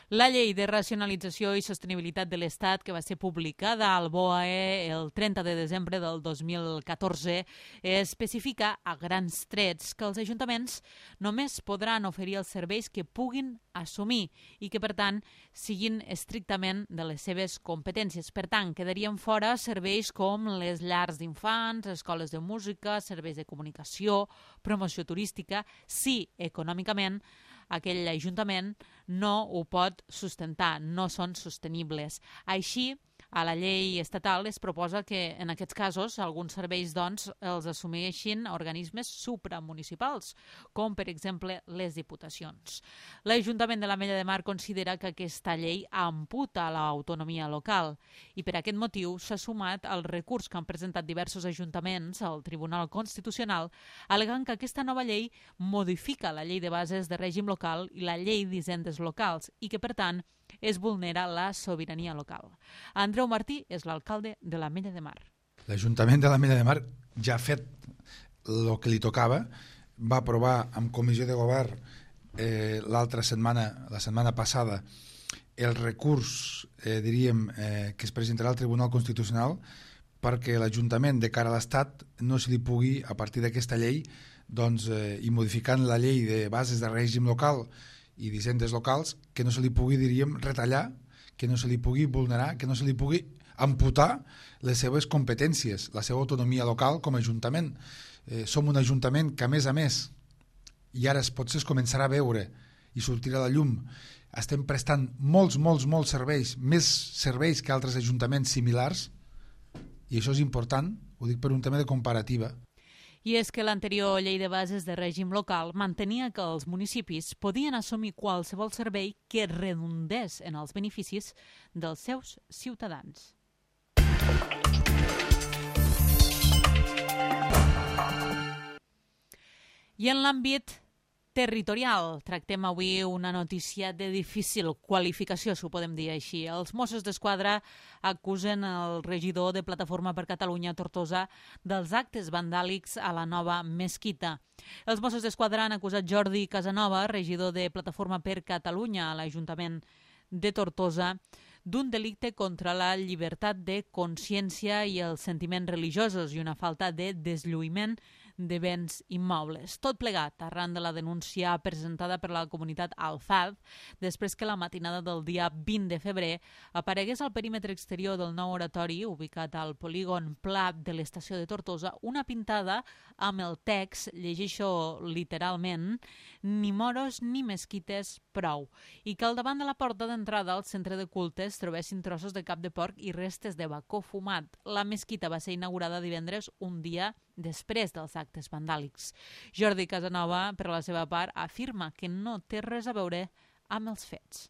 La llei de racionalització i sostenibilitat de l'Estat, que va ser publicada al BOE el 30 de desembre del 2014, especifica a grans trets que els ajuntaments només podran oferir els serveis que puguin assumir i que, per tant, siguin estrictament de les seves competències. Per tant, quedarien fora serveis com les llars d'infants, escoles de música, serveis de comunicació, promoció turística, si econòmicament aquell ajuntament no ho pot sustentar, no són sostenibles. Així, a la llei estatal es proposa que en aquests casos alguns serveis els assumeixin organismes supramunicipals, com per exemple les diputacions. L'Ajuntament de l'Ametlla de Mar considera que aquesta llei amputa l'autonomia local i per aquest motiu s'ha sumat al recurs que han presentat diversos ajuntaments al Tribunal Constitucional, al·legant que aquesta nova llei modifica la llei de bases de règim local i la llei d'hisendes locals i que, per tant, es vulnera la sobirania local. Andreu Martí és l'alcalde de l'Ametlla de Mar. L'Ajuntament de l'Ametlla de Mar ja ha fet el que li tocava, va aprovar amb comissió de govern la setmana passada, el recurs, que es presentarà al Tribunal Constitucional perquè l'Ajuntament de cara a l'Estat no se li pugui, a partir d'aquesta llei, i modificant la llei de bases de règim local i d'hisendes locals, que no se li pugui, retallar, que no se li pugui vulnerar, que no se li pugui amputar les seves competències, la seva autonomia local com a ajuntament. Som un ajuntament que, a més, i ara potser es començarà a veure i sortirà a la llum, estem prestant molts serveis, més serveis que altres ajuntaments similars, i això és important, ho dic per un tema de comparativa. I és que l'anterior llei de bases de règim local mantenia que els municipis podien assumir qualsevol servei que redundés en els beneficis dels seus ciutadans. I en l'àmbit territorial, tractem avui una notícia de difícil qualificació, si ho podem dir així. Els Mossos d'Esquadra acusen el regidor de Plataforma per Catalunya a Tortosa dels actes vandàlics a la nova mesquita. Els Mossos d'Esquadra han acusat Jordi Casanova, regidor de Plataforma per Catalunya a l'Ajuntament de Tortosa, d'un delicte contra la llibertat de consciència i els sentiments religiosos i una falta de deslluïment de béns immobles. Tot plegat arran de la denúncia presentada per la comunitat Alfad després que la matinada del dia 20 de febrer aparegués al perímetre exterior del nou oratori ubicat al polígon Pla de l'estació de Tortosa una pintada amb el text, llegeixo literalment, ni moros ni mesquites prou, i que al davant de la porta d'entrada al centre de cultes trobessin trossos de cap de porc i restes de bacó fumat. La mesquita va ser inaugurada divendres, un dia després dels actes vandàlics. Jordi Casanova, per la seva part, afirma que no té res a veure amb els fets.